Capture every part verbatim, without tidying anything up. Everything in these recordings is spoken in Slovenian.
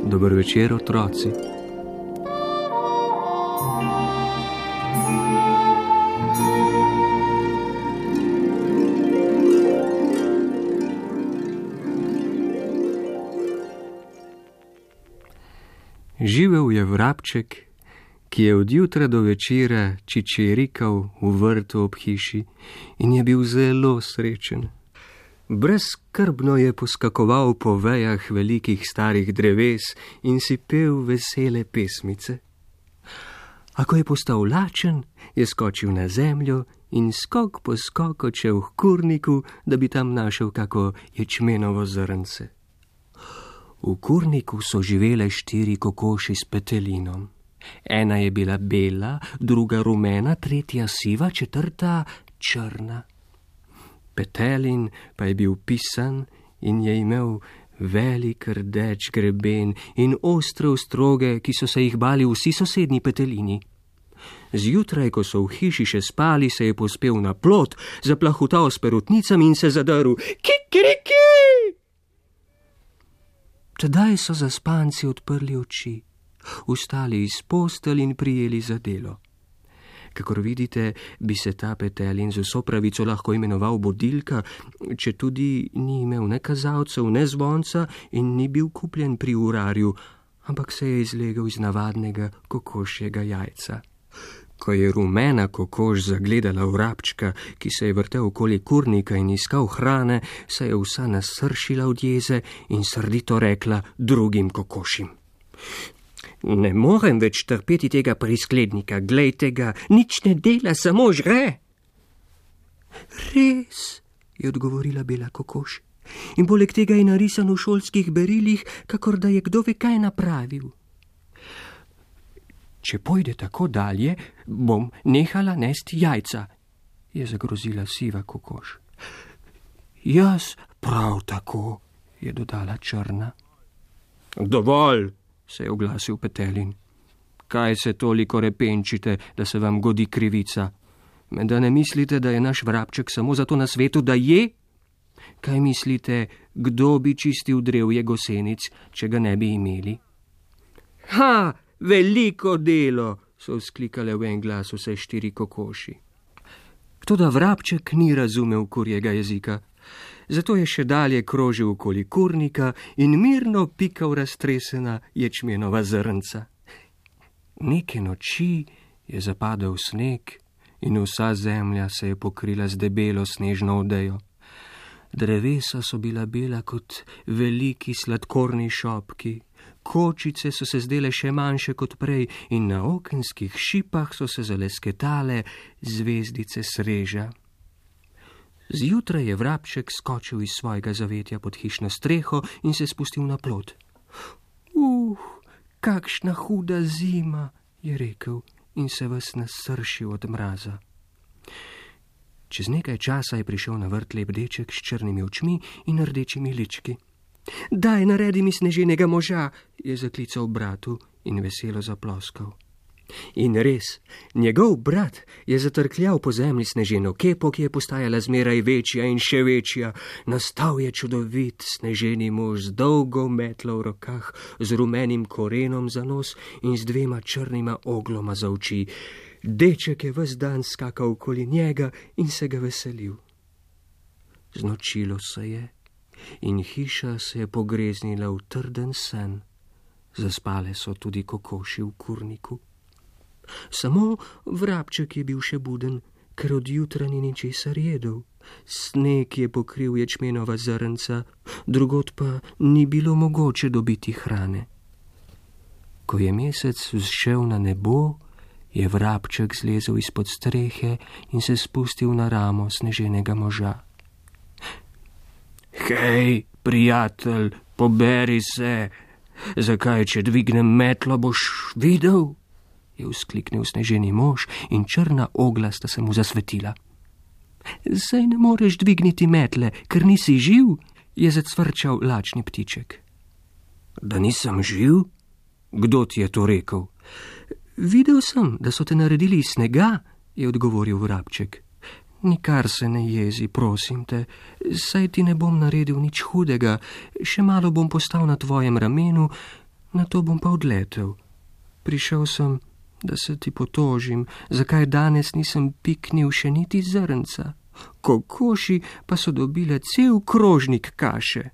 Dober večer, otroci. Živel je vrabček, ki je od jutra do večera čičirikal v vrtu ob hiši in je bil zelo srečen. Brezskrbno je poskakoval po vejah velikih starih dreves in si pel vesele pesmice. A ko je postal lačen, je skočil na zemljo in skok po skok odšel k kurniku, da bi tam našel kako ječmenovo zrnce. V kurniku so živele štiri kokoši s petelinom. Ena je bila bela, druga rumena, tretja siva, četrta črna. Petelin pa je bil pisan in je imel velik rdeč greben in ostre ostroge, ki so se jih bali vsi sosednji petelini. Zjutraj, ko so v hiši še spali, se je pospel na plot, zaplahutal s perutnicami in se zadrl. Kikiriki! Tedaj so zaspanci odprli oči, vstali iz postelj in prijeli za delo. Kakor vidite, bi se ta petelin z vso pravico lahko imenoval bodilka, če tudi ni imel ne kazalcev, ne zvonca in ni bil kupljen pri urarju, ampak se je izlegel iz navadnega kokošjega jajca. Ko je rumena kokoš zagledala vrabčka, ki se je vrtel okoli kurnika in iskal hrane, se je vsa nasršila od jeze in srdito rekla drugim kokošim. Ne morem več trpeti tega prisklednika, glejte ga, nič ne dela, samo žre. Res, je odgovorila bela kokoš, in poleg tega je narisan v šolskih berilih, kakor da je kdo ve kaj napravil. Če pojde tako dalje, bom nehala nesti jajca, je zagrozila siva kokoš. Jaz prav tako, je dodala črna. Dovolj, se je oglasil petelin. Kaj se toliko repenčite, da se vam godi krivica? Da ne mislite, da je naš vrabček samo zato na svetu, da je? Kaj mislite, kdo bi čistil drevje gosenic, če ga ne bi imeli? Ha, veliko delo, so vzklikale v en glas vse štiri kokoši. Toda vrabček ni razumel kurjega jezika. Zato je še dalje krožil okoli kurnika in mirno pikal raztresena ječmenova zrnca. Neke noči je zapadel sneg in vsa zemlja se je pokrila z debelo snežno odejo. Drevesa so bila bela kot veliki sladkorni šopki, kočice so se zdele še manjše kot prej in na okenskih šipah so se zalesketale zvezdice sreža. Zjutraj je vrabček skočil iz svojega zavetja pod hišno streho in se spustil na plot. Uh, kakšna huda zima, je rekel in se ves nasršil od mraza. Čez nekaj časa je prišel na vrt lep deček s črnimi očmi in rdečimi lički. Daj, naredi mi sneženega moža, je zaklical bratu in veselo zaploskal. In res, njegov brat je zatrkljal po zemlji sneženo kepo, ki je postajala zmeraj večja in še večja. Nastal je čudovit sneženi mož z dolgo metlo v rokah, z rumenim korenom za nos in z dvema črnima ogloma za oči. Deček je ves dan skakal okoli njega in se ga veselil. Znočilo se je in hiša se je pogreznila v trden sen. Zaspale so tudi kokoši v kurniku. Samo vrabček je bil še buden, ker od jutra ni ničesar jedel. Sneg je pokril ječmenova zrnca, drugod pa ni bilo mogoče dobiti hrane. Ko je mesec vzšel na nebo, je vrabček zlezel izpod strehe in se spustil na ramo sneženega moža. Hej, prijatelj, poberi se, zakaj, če dvignem metlo, boš videl? Je vzkliknil sneženi mož in črna ogla sta se mu zasvetila. Saj ne moreš dvigniti metle, ker nisi živ, je zacvrčal lačni ptiček. Da nisem živ? Kdo ti je to rekel? Videl sem, da so te naredili iz snega, je odgovoril vrabček. Nikar se ne jezi, prosim te, saj ti ne bom naredil nič hudega, še malo bom postal na tvojem ramenu, na to bom pa odletel. Prišel sem, da se ti potožim, zakaj danes nisem piknil še niti zrnca. Kokoši pa so dobile cel krožnik kaše.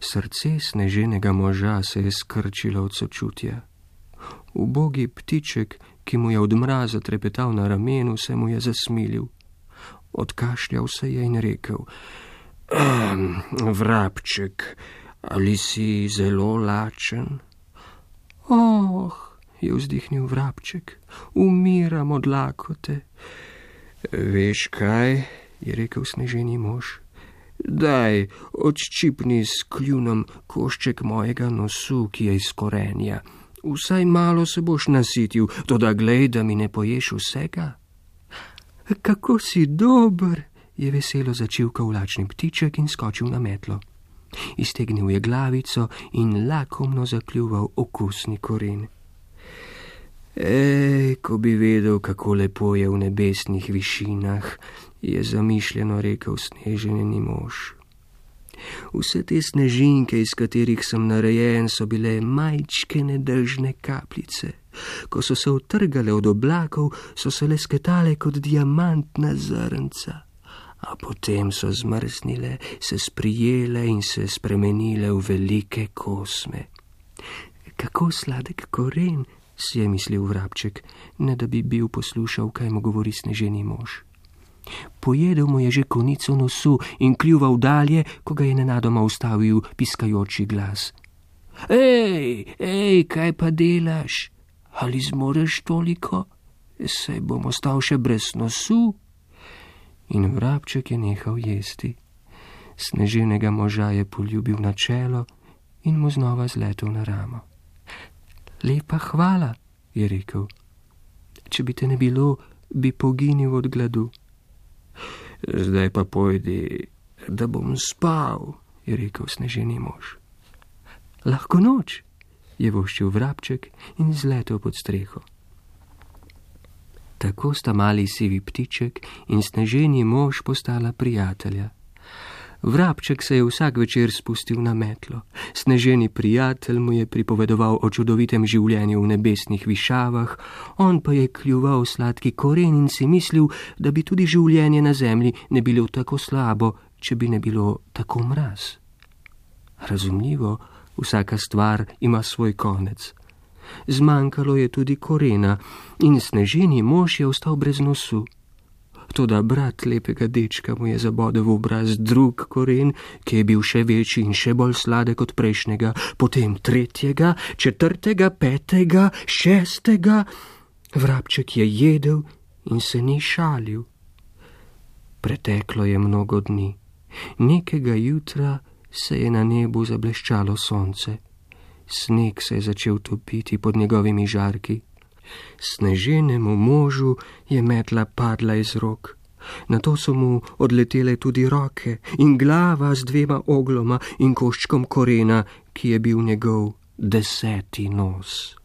Srce sneženega moža se je skrčilo od sočutja. Ubogi ptiček, ki mu je od mraza trepetal na ramenu, se mu je zasmilil. Odkašljal se je in rekel: ehm, vrabček, ali si zelo lačen? Oh, je vzdihnil vrabček, umiram od lakote. Veš kaj, je rekel sneženi mož, daj, odščipni s kljunom košček mojega nosu, ki je iz korenja. Vsaj malo se boš nasitil, toda glej, da mi ne poješ vsega. Kako si dober, je veselo začivkal lačni ptiček in skočil na metlo. Iztegnil je glavico in lakomno zakljuval okusni koren. Ej, ko bi vedel, kako lepo je v nebesnih višinah, je zamišljeno rekel sneženi mož. Vse te snežinke, iz katerih sem narejen, so bile majčke nedežne kapljice. Ko so se utrgale od oblakov, so se lesketale kot diamantna zrnca, a potem so zmrznile, se sprijele in se spremenile v velike kosme. Kako sladek koren, si je mislil vrabček, ne da bi bil poslušal, kaj mu govori sneženi mož. Pojedel mu je že konico nosu in kljuval dalje, ko ga je nenadoma ustavil piskajoči glas. Ej, ej, kaj pa delaš? Ali zmoreš toliko? Saj bom ostal še brez nosu. In vrabček je nehal jesti. Sneženega moža je poljubil na čelo in mu znova zletel na ramo. Lepa hvala, je rekel. Če bi te ne bilo, bi poginil od gladu. Zdaj pa pojdi, da bom spal, je rekel sneženi mož. Lahko noč, je voščil vrabček in zletel pod streho. Tako sta mali sivi ptiček in sneženi mož postala prijatelja. Vrabček se je vsak večer spustil na metlo. Sneženi prijatelj mu je pripovedoval o čudovitem življenju v nebesnih višavah, on pa je kljuval sladki koren in si mislil, da bi tudi življenje na zemlji ne bilo tako slabo, če bi ne bilo tako mraz. Razumljivo, vsaka stvar ima svoj konec. Zmanjkalo je tudi korena in sneženi mož je ostal brez nosu. Toda brat lepega dečka mu je zabodel v obraz drug koren, ki je bil še večji in še bolj sladek od prejšnjega, potem tretjega, četrtega, petega, šestega. Vrabček je jedel in se ni šalil. Preteklo je mnogo dni. Nekega jutra se je na nebu zableščalo sonce. Sneg se je začel topiti pod njegovimi žarki. Sneženemu možu je metla padla iz rok. Nato so mu odletele tudi roke in glava z dvema ogloma in koščkom korena, ki je bil njegov deseti nos.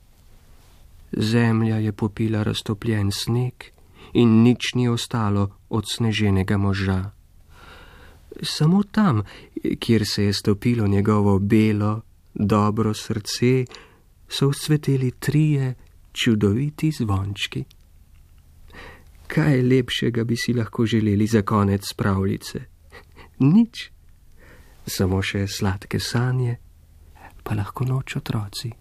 Zemlja je popila raztopljen sneg in nič ni ostalo od sneženega moža. Samo tam, kjer se je stopilo njegovo belo, dobro srce, so vzcveteli trije čudoviti zvončki. Kaj lepšega bi si lahko želeli za konec pravljice? Nič. Samo še sladke sanje, pa lahko noč otroci.